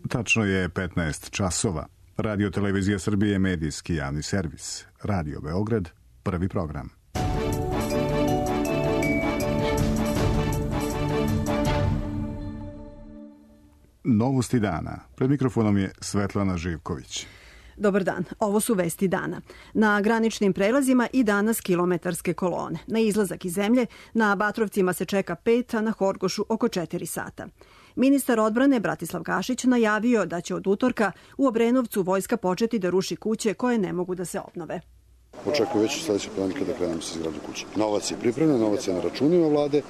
Tačno je 15 časova. Radio Televizija Srbije je medijski javni servis. Radio Beograd, prvi program. Novosti dana. Pred mikrofonom je Svetlana Živković. Dobar dan, ovo su vesti dana. Na graničnim prelazima i danas kilometarske kolone. Na izlazak iz zemlje na Batrovcima se čeka 5, a na Horgošu oko 4 sata. Ministar odbrane Bratislav Gašić najavio da će od utorka u Obrenovcu vojska početi da ruši kuće koje ne mogu da se obnove. Očekuju već sledeće ponedeljka da krenemo sa izgradnjom kuće. Novac je pripremljen, novac je na računima vlade.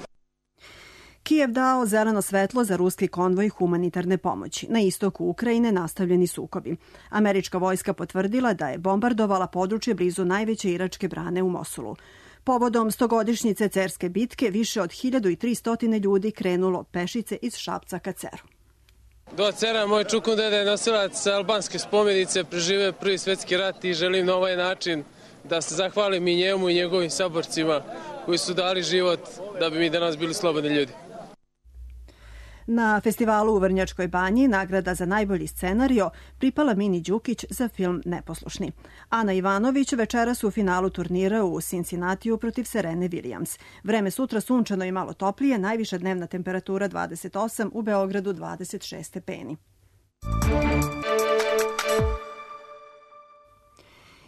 Kijev dao zeleno svetlo za ruski konvoj humanitarne pomoći. Na istoku Ukrajine nastavljeni sukobi. Američka vojska potvrdila da je bombardovala područje blizu najveće iračke brane u Mosulu. Povodom 100-godišnjice Cerske bitke više od 1300 ljudi krenulo pešice iz Šapca ka Ceru. Do Cera moj čukundeda je nosilac albanske spomenice, preživeo Prvi svetski rat i želim na ovaj način da se zahvalim i njemu i njegovim saborcima koji su dali život da bi mi danas bili slobodni ljudi. Na festivalu u Vrnjačkoj banji nagrada za najbolji scenario pripala Mini Đukić za film Neposlušni. Ana Ivanović večeras u finalu turnira u Cincinnatiju protiv Serene Williams. Vreme sutra sunčano i malo toplije, najviša dnevna temperatura 28, u Beogradu 26 stepeni.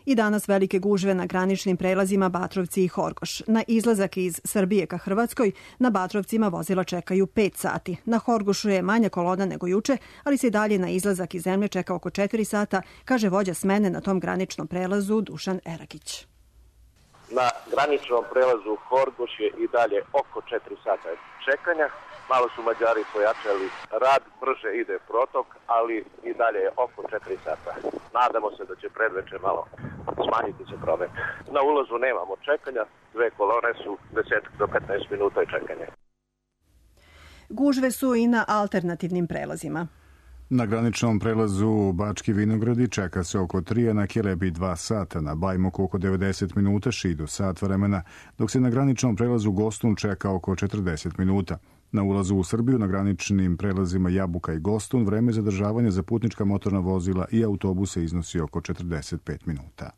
I danas velike gužve na graničnim prelazima Batrovci i Horgoš. Na izlazak iz Srbije ka Hrvatskoj na Batrovcima vozila čekaju 5 sati. Na Horgošu je manja kolona nego juče, ali se i dalje na izlazak iz zemlje čeka oko 4 sata, kaže vođa smene na tom graničnom prelazu Dušan Erakić. Na graničnom prelazu Horgoš je i dalje oko 4 sata čekanja. Malo su Mađari pojačali rad, brže ide protok, ali i dalje je oko 4 sata. Nadamo se da će predveče malo smanjiti se promet. Na ulazu nemamo čekanja, 2 kolone su 10 do 15 minuta čekanja. Gužve su i na alternativnim prelazima. Na graničnom prelazu Bački Vinogradi čeka se oko 3, a na Kelebi 2 sata, na Bajmoku oko 90 minuta, Šidu sat vremena, dok se na graničnom prelazu Gostun čeka oko 40 minuta. Na ulazu u Srbiju na graničnim prelazima Jabuka i Gostun vreme zadržavanja za putnička motorna vozila i autobuse iznosi oko 45 minuta.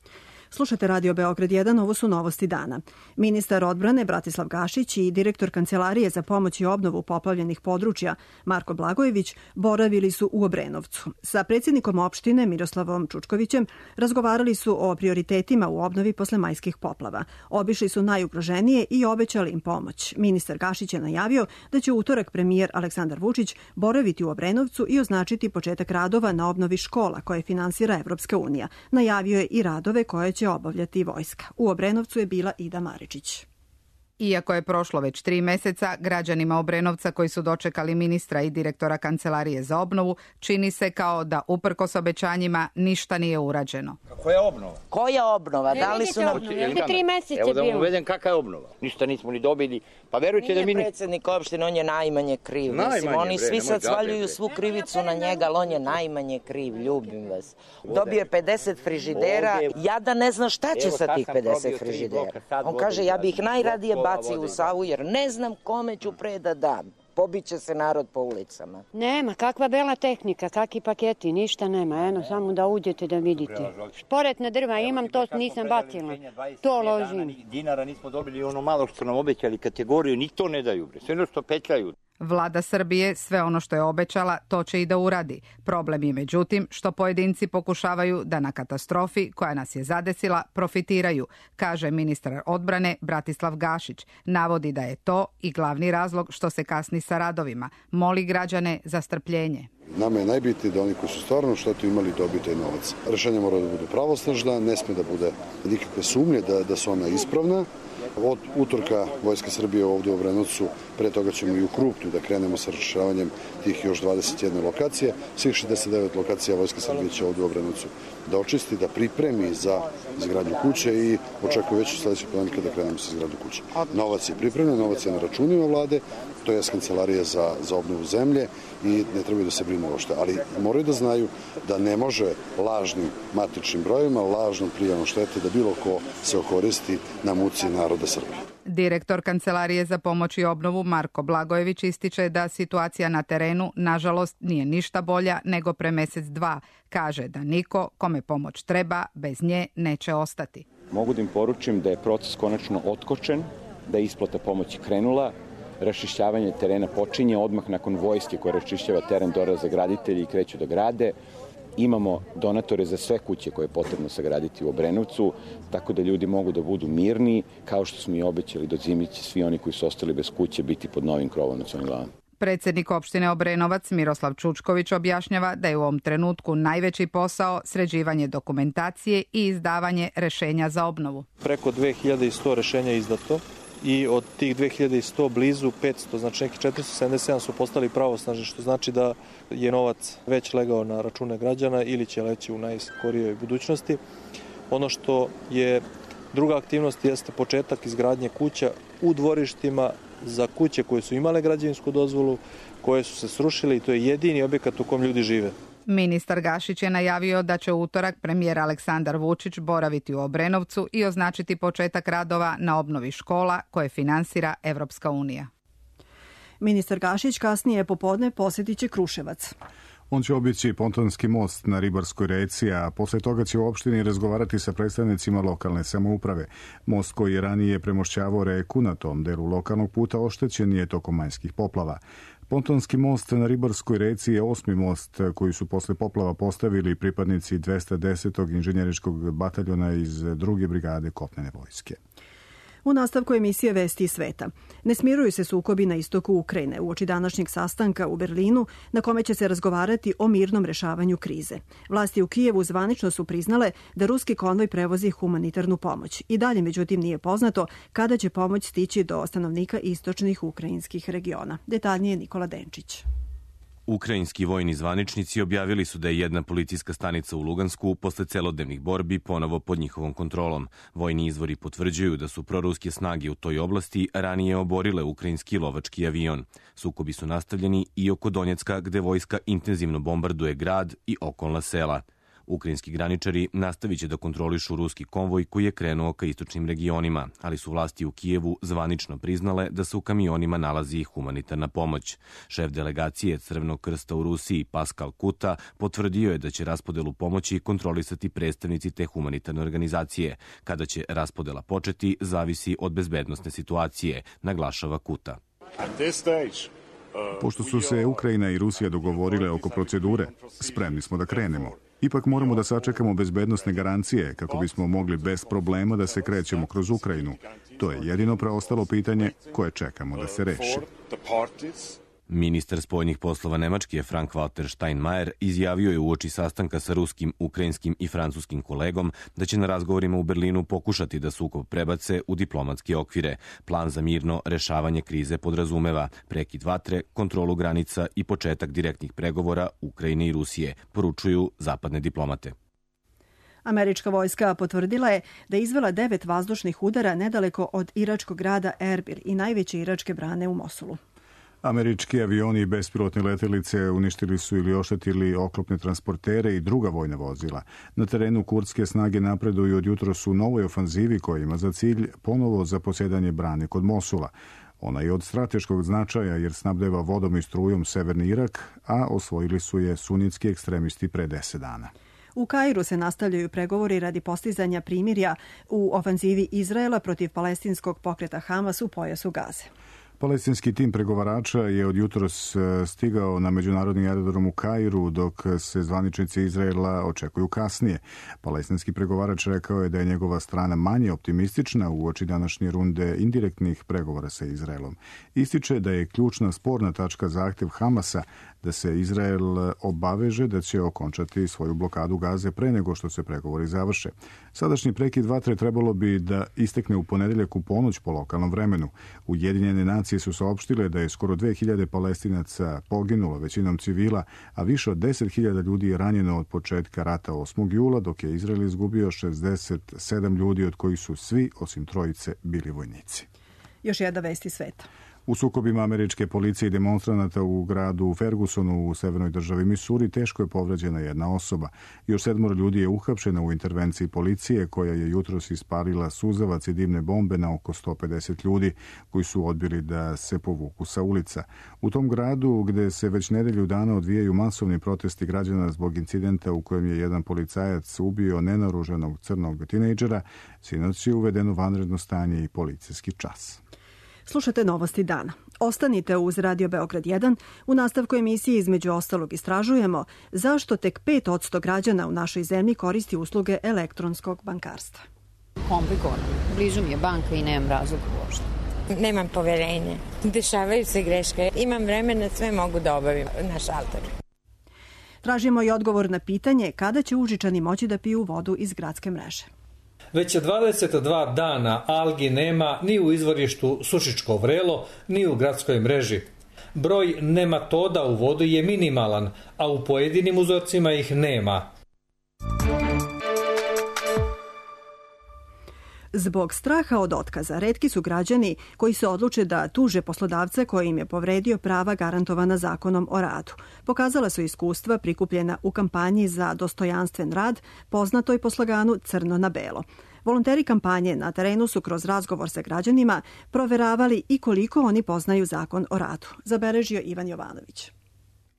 Slušate Radio Beograd 1, ovo su novosti dana. Ministar odbrane Bratislav Gašić i direktor Kancelarije za pomoć i obnovu poplavljenih područja Marko Blagojević boravili su u Obrenovcu. Sa predsjednikom opštine Miroslavom Čučkovićem razgovarali su o prioritetima u obnovi posle majskih poplava. Obišli su najugroženije i obećali im pomoć. Ministar Gašić je najavio da će u utorak premijer Aleksandar Vučić boraviti u Obrenovcu i označiti početak radova na obnovi škola koje finansira Evropska unija. Najavio je i radove koje će obavljati vojska. U Obrenovcu je bila Ida Maričić. Iako je prošlo već 3 meseca, građanima Obrenovca koji su dočekali ministra i direktora Kancelarije za obnovu, čini se kao da uprkos obećanjima ništa nije urađeno. Koja obnova? Koja obnova? Da li su nam... 3 meseca evo da vam uvedem kakva je obnova. Ništa nismo ni dobili. Pa verujte da mi... Nije predsjednik opštine, on je najmanje kriv. Mislim, oni svi sad svaljuju svu krivicu na njega, ali on je najmanje kriv, ljubim vas. Dobio je 50 frižidera, ja da ne znam šta će sa tih 50 frižidera. On kaže, ja bih najradije baci u Savu, jer ne znam kome ću pre da dam. Pobiće se narod po ulicama. Nema, kakva bela tehnika, kakvi paketi, ništa nema. Eno, samo da uđete da vidite. Šporetna drva imam, to nisam bacila. To ložim. Dinara nismo dobili ono malo što nam obećali kategoriju, ni to ne daju. Sve ono što petljaju. Vlada Srbije sve ono što je obećala, to će i da uradi. Problem je međutim što pojedinci pokušavaju da na katastrofi koja nas je zadesila profitiraju, kaže ministar odbrane Bratislav Gašić. Navodi da je to i glavni razlog što se kasni sa radovima. Moli građane za strpljenje. Nama je najbitnije da oni koji su stvarno štetu imali dobiju taj novac. Rešenja mora da budu pravosnažna, ne sme da bude nikakve sumnje da su ona ispravna. Od utorka Vojska Srbije ovdje u Obrenovcu, pre toga ćemo i u Krupnju da krenemo sa rešavanjem tih još 21 lokacije. Svih 69 lokacija Vojska Srbije će ovdje u Obrenovcu da očisti, da pripremi za izgradnju kuće i očekuju već u sledećeg ponedeljka da krenemo sa izgradnju kuće. Novac je pripremljen, novac je na računima vlade, to je Kancelarija za obnovu zemlje i ne trebaju da se brinu uopšte. Ali moraju da znaju da ne može lažnim matičnim brojima, lažnom prijavom štete da bilo ko se okoristi na muci naroda Srbije. Direktor Kancelarije za pomoć i obnovu Marko Blagojević ističe da situacija na terenu, nažalost, nije ništa bolja nego pre mesec dva. Kaže da niko kome pomoć treba bez nje neće ostati. Mogu da im poručim da je proces konačno otkočen, da je isplata pomoći krenula, raščišćavanje terena počinje odmah nakon vojske koja raščišćava teren, dolaze graditelji i kreću da grade. Imamo donatore za sve kuće koje je potrebno sagraditi u Obrenovcu, tako da ljudi mogu da budu mirni, kao što smo i obećali do zime će svi oni koji su ostali bez kuće biti pod novim krovom na svojim glavama. Predsjednik opštine Obrenovac Miroslav Čučković objašnjava da je u ovom trenutku najveći posao sređivanje dokumentacije i izdavanje rešenja za obnovu. Preko 2100 rešenja je izdato i od tih 2100 blizu 500, znači neki 477 su postali pravosnažni, što znači da je novac već legao na račune građana ili će leći u najskorijoj budućnosti. Ono što je druga aktivnost jeste početak izgradnje kuća u dvorištima za kuće koje su imale građevinsku dozvolu, koje su se srušile i to je jedini objekat u kom ljudi žive. Ministar Gašić je najavio da će u utorak premijer Aleksandar Vučić boraviti u Obrenovcu i označiti početak radova na obnovi škola koje finansira Evropska unija. Ministar Gašić kasnije popodne posjetit će Kruševac. On će obići pontonski most na Ribarskoj reci, a posle toga će u opštini razgovarati sa predstavnicima lokalne samouprave. Most koji je ranije premošćavao reku na tom delu lokalnog puta oštećen je tokom majskih poplava. Pontonski most na Ribarskoj reci je 8. most koji su posle poplava postavili pripadnici 210. inženjeričkog bataljona iz 2. brigade kopnene vojske. U nastavku emisije Vesti iz sveta. Ne smiruju se sukobi na istoku Ukrajine uoči današnjeg sastanka u Berlinu na kome će se razgovarati o mirnom rešavanju krize. Vlasti u Kijevu zvanično su priznale da ruski konvoj prevozi humanitarnu pomoć. I dalje, međutim, nije poznato kada će pomoć stići do stanovnika istočnih ukrajinskih regiona. Detaljnije Nikola Denčić. Ukrajinski vojni zvaničnici objavili su da je jedna policijska stanica u Lugansku posle celodnevnih borbi ponovo pod njihovom kontrolom. Vojni izvori potvrđuju da su proruske snage u toj oblasti ranije oborile ukrajinski lovački avion. Sukobi su nastavljeni i oko Donjecka, gde vojska intenzivno bombarduje grad i okolna sela. Ukrajinski graničari nastavit će da kontrolišu ruski konvoj koji je krenuo ka istočnim regionima, ali su vlasti u Kijevu zvanično priznale da se u kamionima nalazi humanitarna pomoć. Šef delegacije Crvenog krsta u Rusiji, Paskal Kuta, potvrdio je da će raspodelu pomoći kontrolisati predstavnici te humanitarne organizacije. Kada će raspodela početi, zavisi od bezbednosne situacije, naglašava Kuta. Pošto su se Ukrajina i Rusija dogovorile oko procedure, spremni smo da krenemo. Ipak moramo da sačekamo bezbednosne garancije kako bismo mogli bez problema da se krećemo kroz Ukrajinu. To je jedino preostalo pitanje koje čekamo da se reši. Ministar spoljnih poslova Nemačke Frank-Walter Steinmeier izjavio je uoči sastanka sa ruskim, ukrajinskim i francuskim kolegom da će na razgovorima u Berlinu pokušati da sukob prebace u diplomatske okvire. Plan za mirno rešavanje krize podrazumeva prekid vatre, kontrolu granica i početak direktnih pregovora Ukrajine i Rusije, poručuju zapadne diplomate. Američka vojska potvrdila je da je izvela 9 vazdušnih udara nedaleko od iračkog grada Erbil i najveće iračke brane u Mosulu. Američki avioni i bespilotne letelice uništili su ili oštetili oklopne transportere i druga vojna vozila. Na terenu kurdske snage napreduju od jutros u novoj ofanzivi koja ima za cilj ponovo zaposjedanje brane kod Mosula. Ona je od strateškog značaja jer snabdeva vodom i strujom severni Irak, a osvojili su je sunitski ekstremisti pre 10 dana. U Kairu se nastavljaju pregovori radi postizanja primirja u ofanzivi Izraela protiv palestinskog pokreta Hamas u pojasu Gaze. Palestinski tim pregovarača je od jutros stigao na međunarodni aerodrom u Kairu, dok se zvaničnici Izraela očekuju kasnije. Palestinski pregovarač rekao je da je njegova strana manje optimistična uoči današnje runde indirektnih pregovora sa Izraelom. Ističe da je ključna sporna tačka zahtev Hamasa da se Izrael obaveže da će okončati svoju blokadu Gaze pre nego što se pregovori završe. Sadašnji prekid vatre trebalo bi da istekne u ponedeljak u ponoć po lokalnom vremenu. Ujedinjene nacije su saopštile da je skoro 2000 Palestinaca poginulo, većinom civila, a više od 10.000 ljudi je ranjeno od početka rata 8. jula, dok je Izrael izgubio 67 ljudi, od kojih su svi, osim trojice, bili vojnici. Još jedna vest iz sveta. U sukobima američke policije i demonstranata u gradu Fergusonu u severnoj državi Misuri teško je povređena jedna osoba. Još 7 ljudi je uhapšeno u intervenciji policije koja je jutros ispalila suzavac i dimne bombe na oko 150 ljudi koji su odbili da se povuku sa ulica. U tom gradu gde se već nedelju dana odvijaju masovni protesti građana zbog incidenta u kojem je jedan policajac ubio nenaoružanog crnog tinejdžera, sinoć je uvedeno vanredno stanje i policijski čas. Slušate Novosti dana. Ostanite uz Radio Beograd 1. U nastavku emisije između ostalog istražujemo zašto tek 5% građana u našoj zemlji koristi usluge elektronskog bankarstva. Komplikovano. Blizu mi je banka i nemam razloga uopšte. Nemam poverenje. Dešavaju se greške. Imam vremena, sve mogu da obavim na šalteru. Tražimo i odgovor na pitanje kada će Užičani moći da piju vodu iz gradske mreže. Već 22 dana algi nema ni u izvorištu Sušičko vrelo, ni u gradskoj mreži. Broj nematoda u vodi je minimalan, a u pojedinim uzorcima ih nema. Zbog straha od otkaza, retki su građani koji se odluče da tuže poslodavca koji im je povredio prava garantovana Zakonom o radu. Pokazala su iskustva prikupljena u kampanji za dostojanstven rad, poznatoj po sloganu Crno na belo. Volonteri kampanje na terenu su kroz razgovor sa građanima proveravali i koliko oni poznaju Zakon o radu. Zabeležio Ivan Jovanović.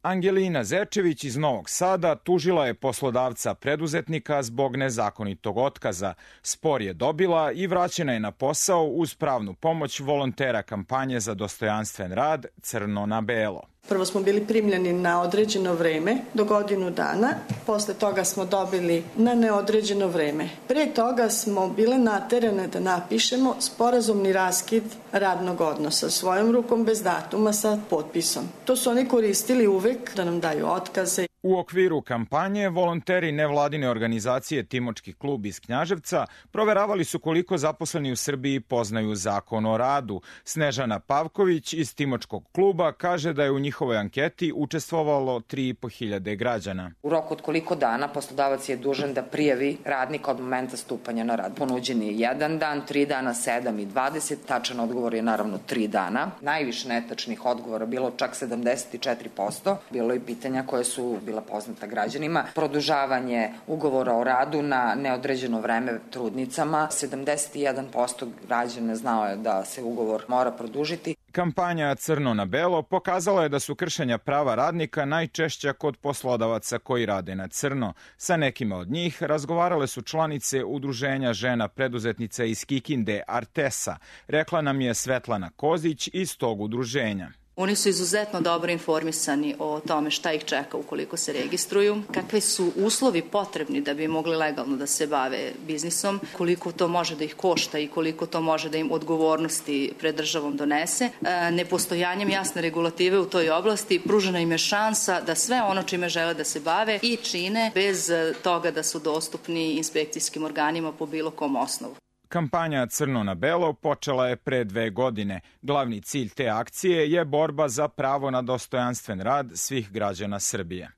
Angelina Zečević iz Novog Sada tužila je poslodavca preduzetnika zbog nezakonitog otkaza. Spor je dobila i vraćena je na posao uz pravnu pomoć volontera kampanje za dostojanstven rad Crno na belo. Prvo smo bili primljeni na određeno vreme do godinu dana, posle toga smo dobili na neodređeno vreme. Pre toga smo bile naterane da napišemo sporazumni raskid radnog odnosa svojom rukom bez datuma sa potpisom. To su oni koristili uvek da nam daju otkaze. U okviru kampanje volonteri nevladine organizacije Timočki klub iz Knjaževca proveravali su koliko zaposleni u Srbiji poznaju Zakon o radu. Snežana Pavković iz Timočkog kluba kaže da je u njihovoj anketi učestvovalo 3.500 građana. U roku od koliko dana poslodavac je dužan da prijavi radnika od momenta stupanja na rad. Ponuđen je 1 dan, 3 dana, 7 i 20. Tačan odgovor je naravno 3 dana. Najviše netačnih odgovora bilo čak 74%. Bilo je pitanja koje su bila poznata građanima. Produžavanje ugovora o radu na neodređeno vreme trudnicama. 71% građana znao je da se ugovor mora produžiti. Kampanja Crno na belo pokazala je da su kršenja prava radnika najčešća kod poslodavaca koji rade na crno. Sa nekima od njih razgovarale su članice Udruženja žena preduzetnica iz Kikinde Artesa, rekla nam je Svetlana Kozić iz tog udruženja. Oni su izuzetno dobro informisani o tome šta ih čeka ukoliko se registruju, kakvi su uslovi potrebni da bi mogli legalno da se bave biznisom, koliko to može da ih košta i koliko to može da im odgovornosti pred državom donese. Nepostojanjem jasne regulative u toj oblasti pružena im je šansa da sve ono čime žele da se bave i čine bez toga da su dostupni inspekcijskim organima po bilo kom osnovu. Kampanja Crno na belo počela je pre 2 godine. Glavni cilj te akcije je borba za pravo na dostojanstven rad svih građana Srbije.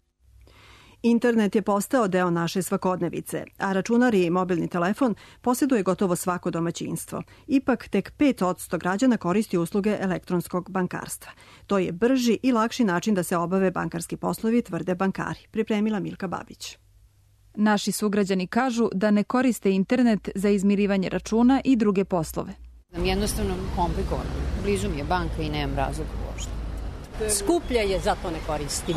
Internet je postao deo naše svakodnevice, a računar i mobilni telefon posjeduje gotovo svako domaćinstvo. Ipak tek 5% građana koristi usluge elektronskog bankarstva. To je brži i lakši način da se obave bankarski poslovi, tvrde bankari. Pripremila Milka Babić. Naši sugrađani kažu da ne koriste internet za izmirivanje računa i druge poslove. Jednostavno komplikovano. Blizu mi je banka i nemam razloga uopšte. Skuplja je, zato ne koristim.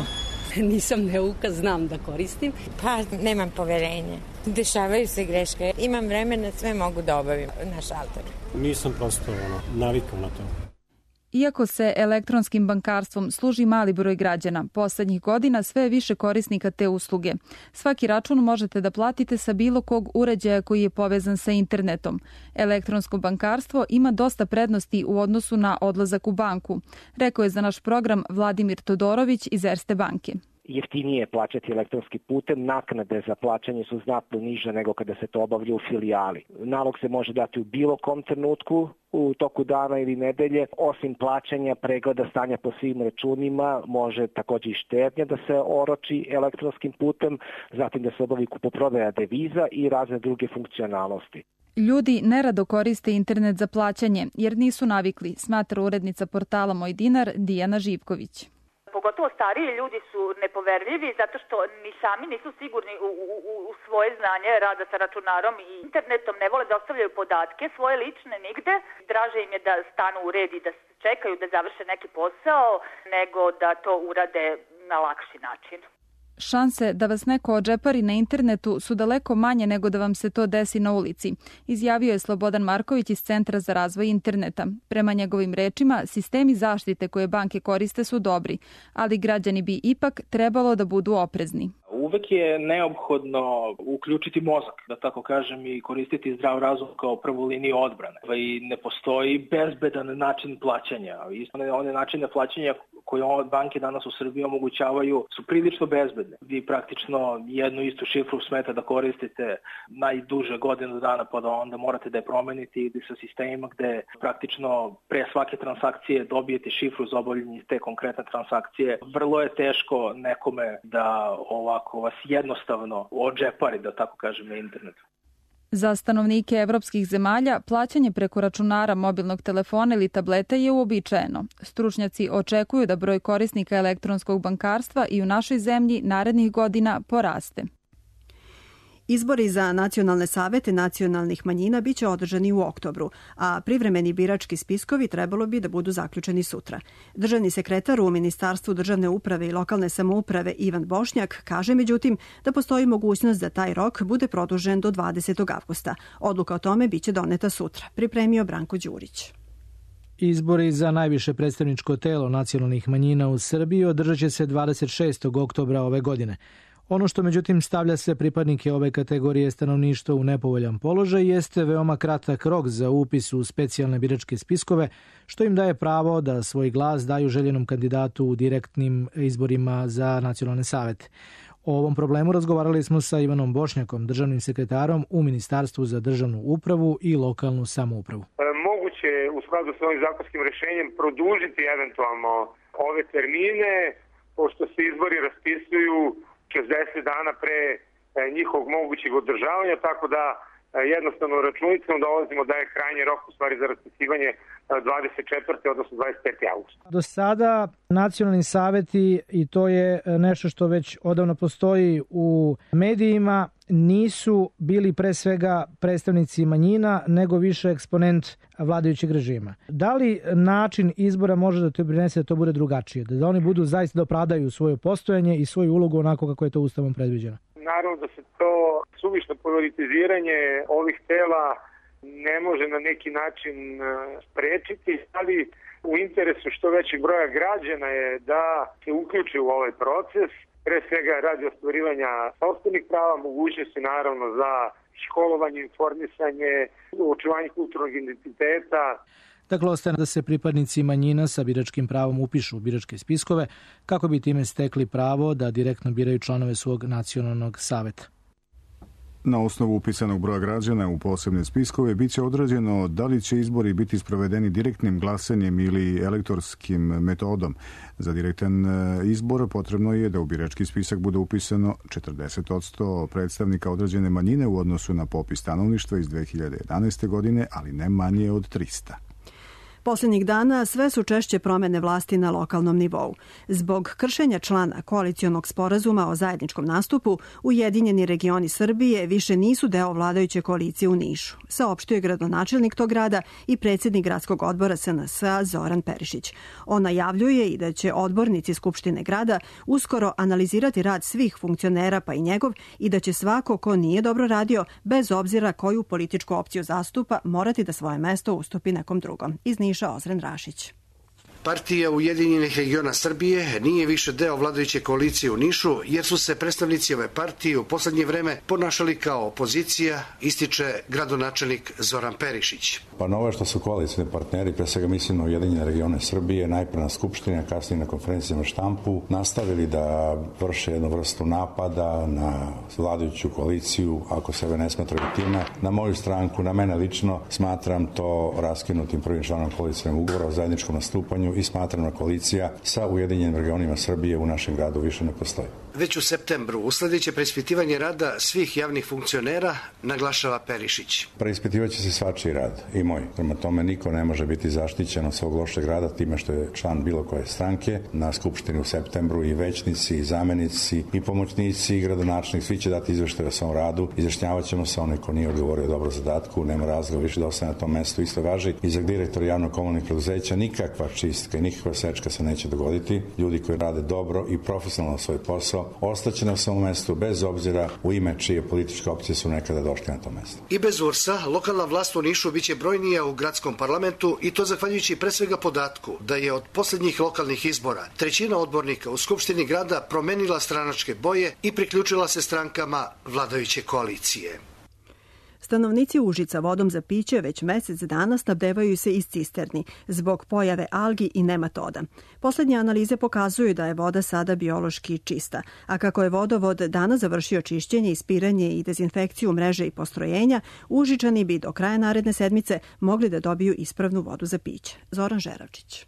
Nisam neuka, znam da koristim. Pa, nemam poverenje. Dešavaju se greške. Imam vremena, sve mogu da obavim na šalteru. Nisam prosto navikao na to. Iako se elektronskim bankarstvom služi mali broj građana, poslednjih godina sve je više korisnika te usluge. Svaki račun možete da platite sa bilo kog uređaja koji je povezan sa internetom. Elektronsko bankarstvo ima dosta prednosti u odnosu na odlazak u banku, rekao je za naš program Vladimir Todorović iz Erste banke. Jeftinije je plaćati elektronskim putem, naknade za plaćanje su znatno niže nego kada se to obavlja u filijali. Nalog se može dati u bilo kom trenutku, u toku dana ili nedelje. Osim plaćanja, pregleda stanja po svim računima, može također i štednja da se oroči elektronskim putem, zatim da se obavi kupoprodaja deviza i razne druge funkcionalnosti. Ljudi nerado koriste internet za plaćanje jer nisu navikli, smatra urednica portala Moj dinar Dijana Živković. Pogotovo stariji ljudi su nepoverljivi zato što ni sami nisu sigurni u svoje znanje rada sa računarom i internetom, ne vole da ostavljaju podatke svoje lične nigde. Draže im je da stanu u red i da čekaju da završe neki posao nego da to urade na lakši način. Šanse da vas neko odžepari na internetu su daleko manje nego da vam se to desi na ulici, izjavio je Slobodan Marković iz Centra za razvoj interneta. Prema njegovim rečima, sistemi zaštite koje banke koriste su dobri, ali građani bi ipak trebalo da budu oprezni. Uvek je neophodno uključiti mozak, da tako kažem, i koristiti zdrav razum kao prvu liniju odbrane. I ne postoji bezbedan način plaćanja. One načine plaćanja koje banke danas u Srbiji omogućavaju su prilično bezbedne. Vi praktično jednu istu šifru smete da koristite najduže godinu dana, pa da onda morate da je promenite i sa sistemima gde praktično pre svake transakcije dobijete šifru za obavljanje te konkretne transakcije. Vrlo je teško nekome da ovako vas jednostavno odžepari, da tako kažem, na internetu. Za stanovnike evropskih zemalja plaćanje preko računara, mobilnog telefona ili tableta je uobičajeno. Stručnjaci očekuju da broj korisnika elektronskog bankarstva i u našoj zemlji narednih godina poraste. Izbori za nacionalne savete nacionalnih manjina biće održani u oktobru, a privremeni birački spiskovi trebalo bi da budu zaključeni sutra. Državni sekretar u Ministarstvu državne uprave i lokalne samouprave Ivan Bošnjak kaže međutim da postoji mogućnost da taj rok bude produžen do 20. avgusta. Odluka o tome biće doneta sutra, pripremio Branko Đurić. Izbori za najviše predstavničko telo nacionalnih manjina u Srbiji održat će se 26. oktobra ove godine. Ono što međutim stavlja sve pripadnike ove kategorije stanovništva u nepovoljan položaj jeste veoma kratak rok za upis u specijalne biračke spiskove, što im daje pravo da svoj glas daju željenom kandidatu u direktnim izborima za nacionalne savete. O ovom problemu razgovarali smo sa Ivanom Bošnjakom, državnim sekretarom u Ministarstvu za državnu upravu i lokalnu samoupravu. Moguće u skladu sa ovim zakonskim rešenjem produžiti eventualno ove termine, pošto se izbori raspisuju 60 dana pre njihovog mogućeg održavanja, tako da jednostavno računicom dolazimo da je krajnji rok u stvari za raspisivanje 24. odnosno 25. augusta. Do sada nacionalni saveti, i to je nešto što već odavno postoji u medijima, nisu bili pre svega predstavnici manjina, nego više eksponent vladajućeg režima. Da li način izbora može da to prinese da to bude drugačije? Da oni budu zaista da opravdaju svoje postojanje i svoju ulogu onako kako je to Ustavom predviđeno? Naravno da se to suvišno politiziranje ovih tela ne može na neki način sprečiti, ali u interesu što većeg broja građana je da se uključi u ovaj proces, pre svega radi ostvarivanja sopstvenih prava, mogućnosti naravno za školovanje, informisanje, očuvanje kulturnog identiteta. Dakle, ostaje da se pripadnici manjina sa biračkim pravom upišu u biračke spiskove kako bi time stekli pravo da direktno biraju članove svog nacionalnog saveta. Na osnovu upisanog broja građana u posebne spiskove biće određeno da li će izbori biti sprovedeni direktnim glasanjem ili elektorskim metodom. Za direktan izbor potrebno je da u birački spisak bude upisano 40% predstavnika određene manjine u odnosu na popis stanovništva iz 2011. godine, ali ne manje od 300. Posljednjih dana sve su češće promene vlasti na lokalnom nivou. Zbog kršenja člana koalicionog sporazuma o zajedničkom nastupu, Ujedinjeni regioni Srbije više nisu deo vladajuće koalicije u Nišu, saopštio je gradonačelnik tog grada i predsjednik gradskog odbora SNS-a Zoran Perišić. On najavljuje i da će odbornici Skupštine grada uskoro analizirati rad svih funkcionera pa i njegov i da će svako ko nije dobro radio, bez obzira koju političku opciju zastupa, morati da svoje mesto ustupi nekom drugom. Iz Niša Ozren Rašić. Partija Ujedinjenih regiona Srbije nije više deo vladajuće koalicije u Nišu, jer su se predstavnici ove partije u poslednje vreme ponašali kao opozicija, ističe gradonačelnik Zoran Perišić. Pa novo je što su koalicijni partneri, pre svega mislim na Ujedinjene regione Srbije, najpre na Skupštini, a kasnije na konferencijama štampu, nastavili da vrše jednu vrstu napada na vladajuću koaliciju, ako sebe ne smatraju time, na moju stranku, na mene lično, smatram to raskinutim prvim članom koalicijnog ugovora o zajedničkom nastupanju i smatram da koalicija sa Ujedinjenim regionima Srbije u našem gradu više ne postoji. već u septembru usledeće preispitivanje rada svih javnih funkcionera, naglašava Perišić. Preispitivaće se svačiji rad i moj. Prema tome niko ne može biti zaštićen od svog lošeg rada time što je član bilo koje stranke. Na skupštini u septembru i većnici, i zamenici, i pomoćnici, i gradonačelnik, svi će dati izveštaje o svom radu. Izjašnjavat ćemo se onaj ko nije odgovorio dobro zadatku, nema razloga više da ostane na tom mestu. Isto važi i za direktora javno-komunalnih preduzeća. Nikakva čistka i nikakva sečka se neće dogoditi. Ljudi koji rade dobro i profesionalno svoj posao ostaće na svom mestu bez obzira u ime čije političke opcije su nekada došli na to mesto. I bez URS-a lokalna vlast u Nišu biće brojnija u gradskom parlamentu i to zahvaljujući pre svega podatku da je od poslednjih lokalnih izbora trećina odbornika u Skupštini grada promenila stranačke boje i priključila se strankama vladajuće koalicije. Stanovnici Užica vodom za piće već mesec dana snabdevaju se iz cisterni zbog pojave algi i nematoda. Poslednje analize pokazuju da je voda sada biološki čista, a kako je vodovod danas završio čišćenje, ispiranje i dezinfekciju mreže i postrojenja, Užičani bi do kraja naredne sedmice mogli da dobiju ispravnu vodu za piće. Zoran Žeravčić.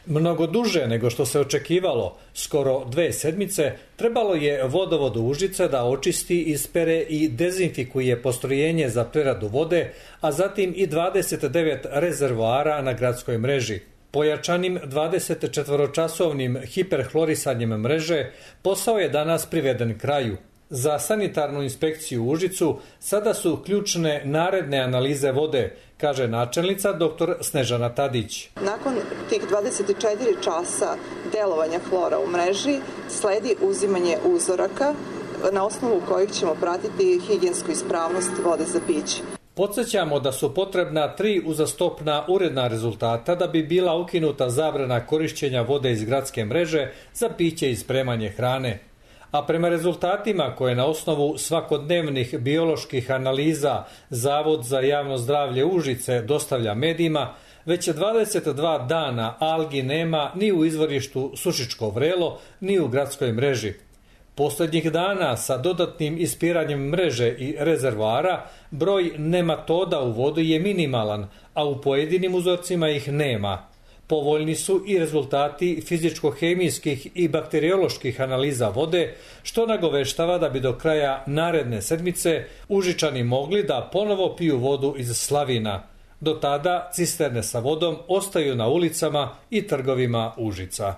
Mnogo duže nego što se očekivalo, skoro 2 sedmice, trebalo je vodovod Užice da očisti, ispere i dezinfikuje postrojenje za preradu vode, a zatim i 29 rezervoara na gradskoj mreži. Pojačanim 24-časovnim hiperhlorisanjem mreže posao je danas priveden kraju. Za sanitarnu inspekciju u Užicu sada su ključne naredne analize vode, kaže načelnica dr. Snežana Tadić. Nakon tih 24 časa delovanja hlora u mreži sledi uzimanje uzoraka na osnovu kojih ćemo pratiti higijensku ispravnost vode za piće. Podsjećamo da su potrebna 3 uzastopna uredna rezultata da bi bila ukinuta zabrana korišćenja vode iz gradske mreže za piće i spremanje hrane. A prema rezultatima koje na osnovu svakodnevnih bioloških analiza Zavod za javno zdravlje Užice dostavlja medijima, već 22 dana algi nema ni u izvorištu Sušičko Vrelo, ni u gradskoj mreži. Poslednjih dana sa dodatnim ispiranjem mreže i rezervoara broj nematoda u vodi je minimalan, a u pojedinim uzorcima ih nema. Povoljni su i rezultati fizičko-hemijskih i bakterioloških analiza vode, što nagoveštava da bi do kraja naredne sedmice Užičani mogli da ponovo piju vodu iz slavina. Do tada cisterne sa vodom ostaju na ulicama i trgovima Užica.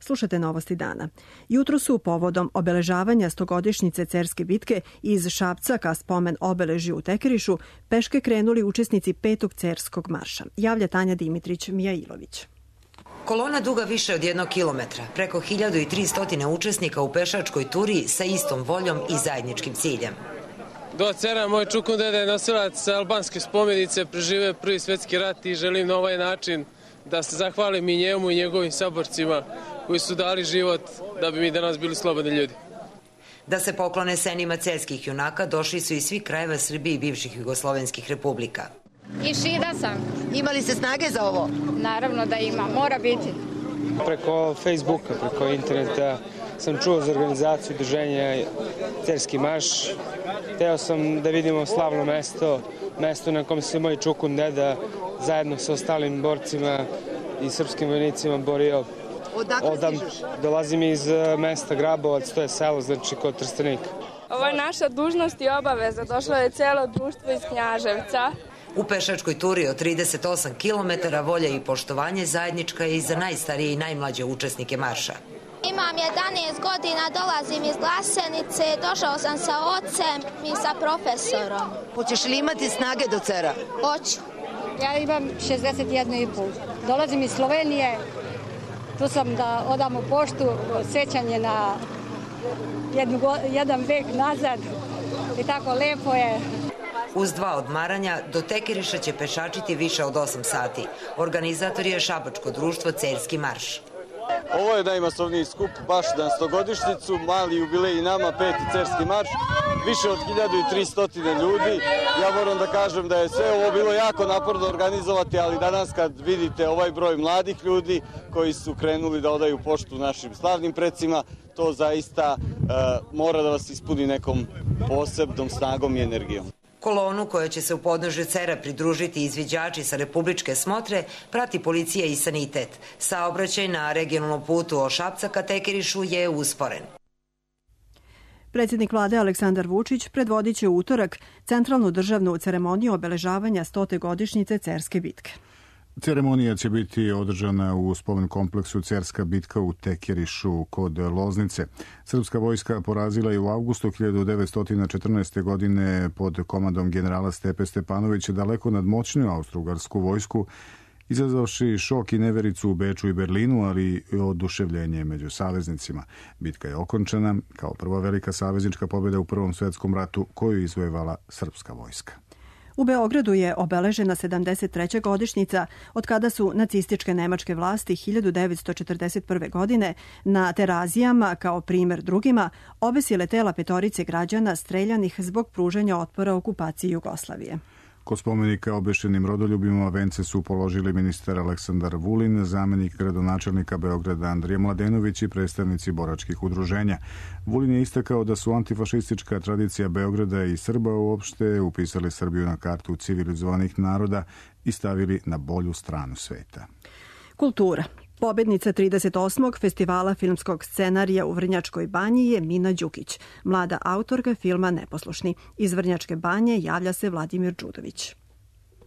Slušate Novosti dana. Jutro su povodom obeležavanja 100-godišnjice Cerske bitke iz Šapca ka spomen obeležju u Tekerišu peške krenuli učesnici 5. Cerskog marša. Javlja Tanja Dimitrić-Mijailović. Kolona duga više od 1 kilometra, preko 1300 učesnika u pešačkoj turi sa istom voljom i zajedničkim ciljem. Do Cera moj čukun deda je nosilac albanske spomenice, preživeo Prvi svetski rat i želim na ovaj način da se zahvalim i njemu i njegovim saborcima koji su dali život da bi mi danas bili slobodni ljudi. Da se poklone senima cerskih junaka došli su iz svih krajeva Srbije i bivših jugoslovenskih republika. I šida sam. Imali ste snage za ovo? Naravno da ima, mora biti. Preko Facebooka, preko interneta sam čuo za organizaciju udruženja Cerski marš. Hteo sam da vidimo slavno mesto na kom se moj čukun deda zajedno sa ostalim borcima i srpskim vojnicima borio. Odakle stižeš? Dolazim iz mesta Grabovac, to je selo, znači kod Trstenika. Ovo je naša dužnost i obaveza. Došlo je celo društvo iz Knjaževca. U pešačkoj turi od 38 km volja i poštovanje zajednička je i za najstarije i najmlađe učesnike marša. Imam 11 godina, dolazim iz Glasenice, došao sam sa ocem i sa profesorom. Hoćeš li imati snage do Cera? Hoću. Ja imam 61,5. Dolazim iz Slovenije. Tu sam da odam u poštu sećanje na jedan vek nazad i tako lepo je. Uz 2 odmaranja do Tekeriša će pešačiti više od 8 sati. Organizator je Šabačko društvo Cerski marš. Ovo je najmasovniji skup baš na 100-godišnjicu, mali jubilej i nama, 5. Cerski marš, više od 1300 ljudi. Ja moram da kažem da je sve ovo bilo jako naporno organizovati, ali danas kad vidite ovaj broj mladih ljudi koji su krenuli da odaju poštu našim slavnim precima, to zaista mora da vas ispuni nekom posebnom snagom i energijom. Kolonu koja će se u podnožju Cera pridružiti izviđači sa republičke smotre prati policija i sanitet. Saobraćaj na regionalnom putu od Šapca ka Tekerišu je usporen. Predsjednik vlade Aleksandar Vučić predvodit će u utorak centralnu državnu ceremoniju obeležavanja 100. godišnjice Cerske bitke. Ceremonija će biti održana u spomen kompleksu Cerska bitka u Tekerišu kod Loznice. Srpska vojska porazila je u avgustu 1914. godine pod komandom generala Stepe Stepanovića daleko nadmoćniju austrougarsku vojsku, izazvavši šok i nevericu u Beču i Berlinu, ali i oduševljenje među saveznicima. Bitka je okončana kao prva velika saveznička pobjeda u Prvom svjetskom ratu koju je izvojevala srpska vojska. U Beogradu je obeležena 73. godišnjica od kada su nacističke nemačke vlasti 1941. godine na Terazijama, kao primer drugima, obesile tela 5 građana streljanih zbog pružanja otpora okupaciji Jugoslavije. Kod spomenika obeštenim rodoljubima vence su položili ministar Aleksandar Vulin, zamenik gradonačelnika Beograda Andrija Mladenović i predstavnici boračkih udruženja. Vulin je istakao da su antifašistička tradicija Beograda i Srba uopšte upisali Srbiju na kartu civilizovanih naroda i stavili na bolju stranu sveta. Kultura. Pobednica 38. festivala filmskog scenarija u Vrnjačkoj banji je Mina Đukić, mlada autorka filma Neposlušni. Iz Vrnjačke banje javlja se Vladimir Đudović.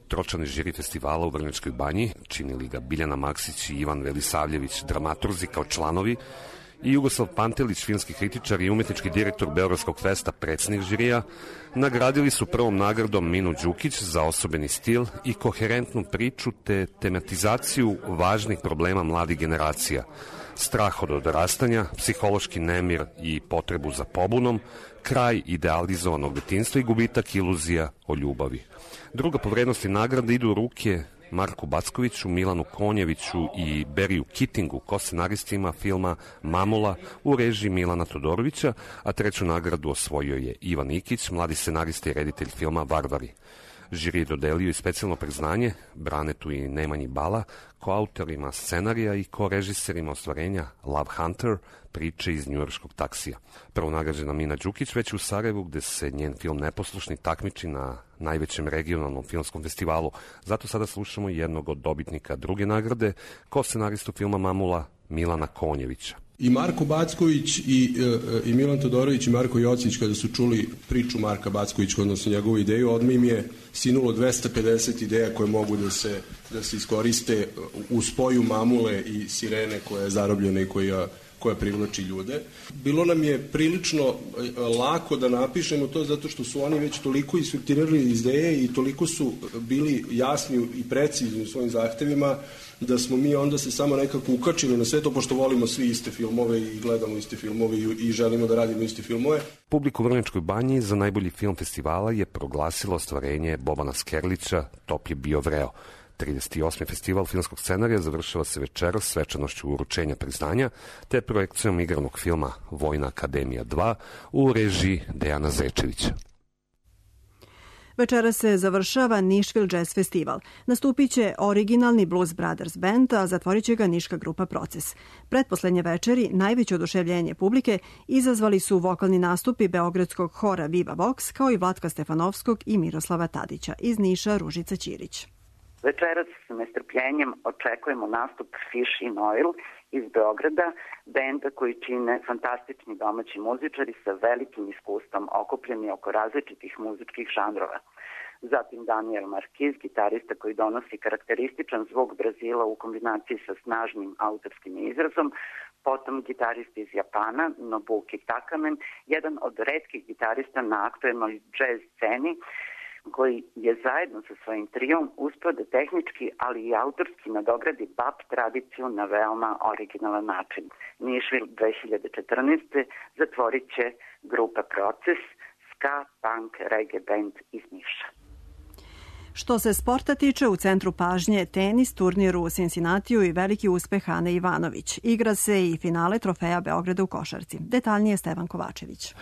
Tročlani žiri festivala u Vrnjačkoj banji, činili ga Biljana Maksić i Ivan Velisavljević, dramaturzi kao članovi, i Jugoslav Pantelić, filmski kritičar i umetnički direktor Beogradskog festa, predsjednik žirija, nagradili su prvom nagradom Minu Đukić za osobeni stil i koherentnu priču te tematizaciju važnih problema mladih generacija, strah od odrastanja, psihološki nemir i potrebu za pobunom, kraj idealizovanog detinjstva i gubitak iluzija o ljubavi. Druga po vrednosti nagrade idu u ruke Marku Backoviću, Milanu Konjeviću i Beriju Kittingu, ko-scenaristima filma Mamula u režiji Milana Todorovića, a treću nagradu osvojio je Ivan Ikić, mladi scenarista i reditelj filma Varvari. Žiri je dodelio i specijalno priznanje Branetu i Nemanji Bala, koautorima scenarija i korežiserima ostvarenja Love Hunter, priče iz njujorškog taksija. Prvo nagrađena Mina Đukić već u Sarajevu, gde se njen film Neposlušni takmiči na najvećem regionalnom filmskom festivalu. Zato sada slušamo jednog od dobitnika druge nagrade, ko-scenaristu filma Mamula, Milana Konjevića. I Marko Backović i Milan Todorović i Marko Jocić, kada su čuli priču Marka Backovića, odnosno njegovu ideju, odmah im je sinulo 250 ideja koje mogu da se iskoriste u spoju Mamule i Sirene koja je zarobljena i koja privlači ljude. Bilo nam je prilično lako da napišemo to zato što su oni već toliko isfiltrirali ideje i toliko su bili jasni i precizni u svojim zahtevima da smo mi onda se samo nekako ukačili na sve to, pošto volimo svi iste filmove i gledamo iste filmove i želimo da radimo iste filmove. Publiku u Vrnjačkoj banji za najbolji film festivala je proglasilo ostvarenje Bobana Skerlića Top je bio vreo. 38. festival filmskog scenarija završava se večeras svečanošću uručenja priznanja te projekcijom igranog filma Vojna akademija 2 u režiji Dejana Zečevića. Večera se završava Nišvil Jazz Festival. Nastupit će originalni Blues Brothers Band, a zatvorit će ga niška grupa Proces. Pretposlednje večeri najveće oduševljenje publike izazvali su vokalni nastupi beogradskog hora Viva Vox, kao i Vlatka Stefanovskog i Miroslava Tadića. Iz Niša Ružica Ćirić. Večeras s nestrpljenjem očekujemo nastup Fish in Oil iz Beograda, benda koji čine fantastični domaći muzičari sa velikim iskustvom okupljeni oko različitih muzičkih žanrova. Zatim Daniel Marquiz, gitarista koji donosi karakterističan zvuk Brazila u kombinaciji sa snažnim autorskim izrazom, potom gitarist iz Japana, Nobuki Takamen, jedan od retkih gitarista na aktuelnoj jazz sceni, koji je zajedno sa svojim trijom uspeo da tehnički, ali i autorski nadogradi bap tradiciju na veoma originalan način. Nišvil 2014. zatvorit će grupa Proces, ska, punk, reggae band iz Niša. Što se sporta tiče, u centru pažnje tenis, turnir u Cincinnatiju i veliki uspeh Ane Ivanović. Igra se i finale trofeja Beograda u košarci. Detaljnije Stevan Kovačević.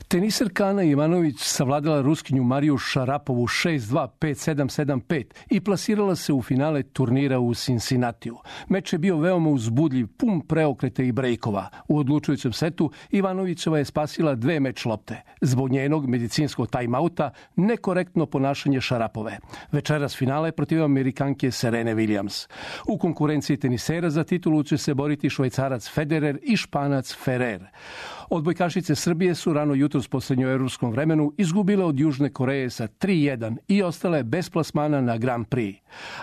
Teniserka Ana Ivanović savladala Ruskinju Mariju Šarapovu 6-2, 5-7, 7-5 i plasirala se u finale turnira u Cincinnatiju. Meč je bio veoma uzbudljiv, pun preokreta i brejkova. U odlučujućem setu Ivanovićeva je spasila 2 meč lopte. Zbog njenog medicinskog time-outa nekorektno ponašanje Šarapove. Večeras finale protiv Amerikanke Serene Williams. U konkurenciji tenisera za titulu će se boriti Švajcarac Federer i Španac Ferrer. Odbojkašice Srbije su rano jutros po srednjoevropskom vremenu izgubile od Južne Koreje sa 3:1 i ostale bez plasmana na Grand Prix.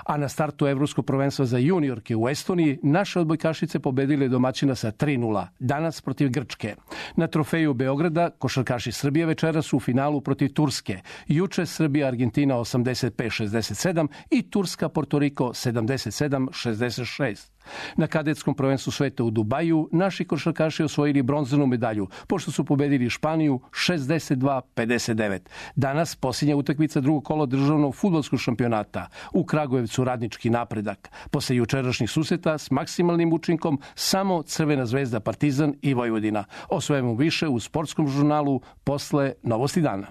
A na startu Evropskog prvenstva za juniorke u Estoniji naše odbojkašice pobedile domaćina sa 3:0, danas protiv Grčke. Na trofeju Beograda košarkaši Srbije večeras su u finalu protiv Turske. Juče Srbija-Argentina 85-67 i Turska-Portoriko 77-66. Na kadetskom prvenstvu sveta u Dubaju naši košarkaši osvojili bronzanu medalju, pošto su pobedili Španiju 62-59. Danas posljednja utakmica drugog kola državnog fudbalskog šampionata. U Kragujevcu Radnički Napredak. Posle jučerašnjih susreta s maksimalnim učinkom samo Crvena zvezda, Partizan i Vojvodina. O svemu više u sportskom žurnalu posle Novosti dana.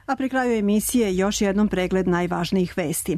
A pri kraju emisije još jednom pregled najvažnijih vesti.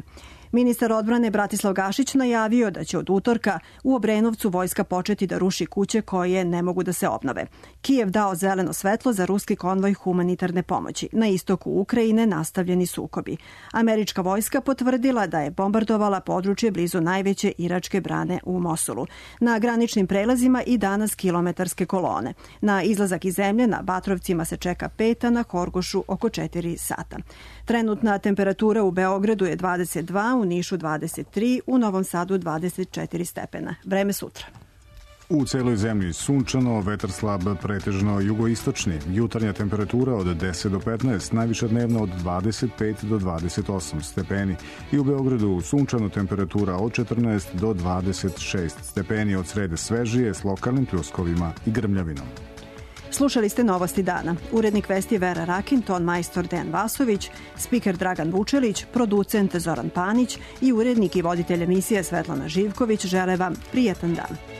Ministar odbrane Bratislav Gašić najavio da će od utorka u Obrenovcu vojska početi da ruši kuće koje ne mogu da se obnove. Kijev dao zeleno svetlo za ruski konvoj humanitarne pomoći. Na istoku Ukrajine nastavljeni sukobi. Američka vojska potvrdila da je bombardovala područje blizu najveće iračke brane u Mosulu. Na graničnim prelazima i danas kilometarske kolone. Na izlazak iz zemlje na Batrovcima se čeka 5, a na Horgošu oko 4 sata. Trenutna temperatura u Beogradu je 22, u Nišu 23, u Novom Sadu 24 stepena. Vreme sutra. U celoj zemlji sunčano, vetar slab, pretežno jugoistočni. Jutarnja temperatura od 10 do 15, najviša dnevna od 25 do 28 stepeni. I u Beogradu sunčano, temperatura od 14 do 26 stepeni, od srede svežije s lokalnim pljuskovima i grmljavinom. Slušali ste Novosti dana. Urednik vesti Vera Rakin, ton majstor Dejan Vasović, spiker Dragan Vučelić, producent Zoran Panić i urednik i voditelj emisije Svetlana Živković žele vam prijetan dan.